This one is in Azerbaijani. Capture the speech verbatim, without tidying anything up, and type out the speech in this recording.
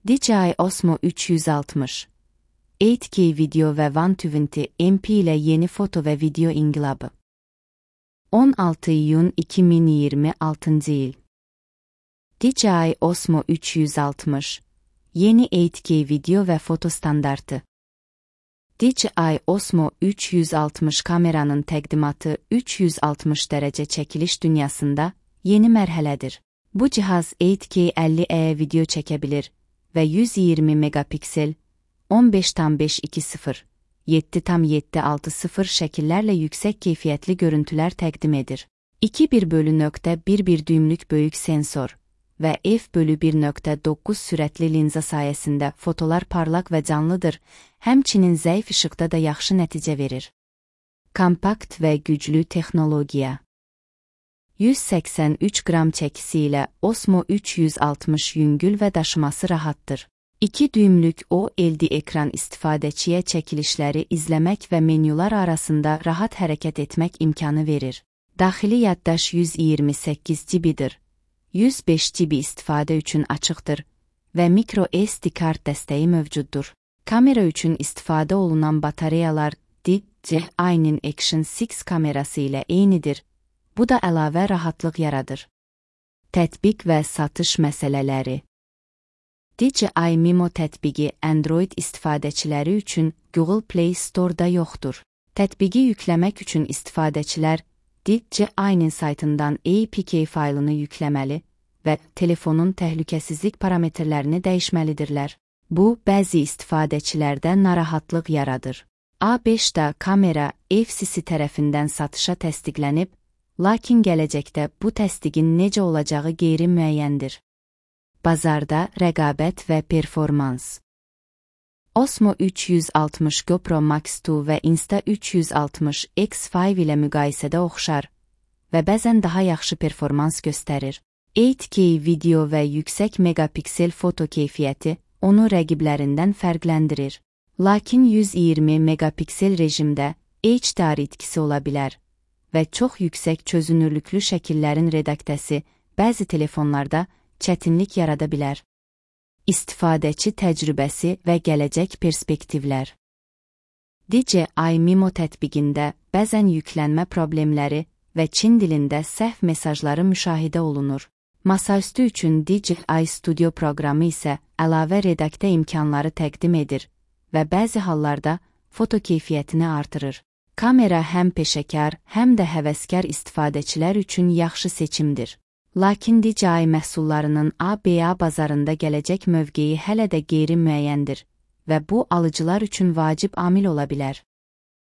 D J I Osmo üç yüz altmış sekiz K video ve yüz yirmi M P ile yeni foto ve video ingilabı. on altı iyun iki bin yirmi altı yıl. D J I Osmo üç yüz altmış yeni sekiz K video ve foto standartı. D J I Osmo üç yüz altmış kameranın təqdimatı üç yüz altmış derece çekiliş dünyasında yeni mərhələdir. Bu cihaz sekiz K əlli E video çekebilir ve yüz yirmi megapiksel, on beş tam beş iki sıfır, yedi tam yedi altı sıfır şekillerle yüksek keyfiyetli görüntüler təqdim edir. iki bir bölü nokta bir bir düymlük büyük sensor ve f bölü bir nokta dokuz sürətli linza sayesinde fotolar parlak ve canlıdır, həmçinin zəif ışıqda da yaxşı nəticə verir. Kompakt ve güclü texnologiya. yüz səksən üç gram çəkisiyle Osmo üç yüz altmış yüngül ve daşıması rahattır. iki düymlük O L E D ekran istifadəçiyə çəkilişləri izləmək və menyular arasında rahat hərəkət etmək imkanı verir. Daxili yaddaş yüz iyirmi səkkiz gigabaytdır. yüz beş gigabayt istifadə üçün açıqdır və micro S D kart dəstəyi mövcuddur. Kamera üçün istifadə olunan batareyalar D J I-nin Action altı kamerası ilə eynidir. Bu da əlavə rahatlıq yaradır. Tətbiq və satış məsələləri. D J I Mimo tətbiqi Android istifadəçiləri üçün Google Play Store-da yoxdur. Tətbiqi yükləmək üçün istifadəçilər D J I-nin saytından A P K faylını yükləməli və telefonun təhlükəsizlik parametrlərini dəyişməlidirlər. Bu, bəzi istifadəçilərdə narahatlıq yaradır. A beşdə kamera F C C tərəfindən satışa təsdiqlənib, lakin gələcəkdə bu təsdiqin necə olacağı qeyri-müəyyəndir. Bazarda rəqabət və performans. Osmo üç yüz altmış GoPro Max iki və Insta üç yüz altmış X beş ilə müqayisədə oxşar və bəzən daha yaxşı performans göstərir. sekiz K video və yüksək megapiksel foto keyfiyyəti onu rəqiblərindən fərqləndirir. Lakin yüz iyirmi megapiksel rejimdə H D R itkisi ola bilər və çox yüksək çözünürlüklü şəkillərin redaktəsi bəzi telefonlarda çətinlik yarada bilər. İstifadəçi təcrübəsi və gələcək perspektivlər. D J I Mimo tətbiqində bəzən yüklənmə problemləri və Çin dilində səhv mesajları müşahidə olunur. Masaüstü üçün D J I Studio proqramı isə əlavə redaktə imkanları təqdim edir və bəzi hallarda foto keyfiyyətini artırır. Kamera həm peşəkar, həm də həvəskar istifadəçilər üçün yaxşı seçimdir. Lakin D J I məhsullarının A B A bazarında gələcək mövqeyi hələ də qeyri-müəyyəndir və bu alıcılar üçün vacib amil ola bilər.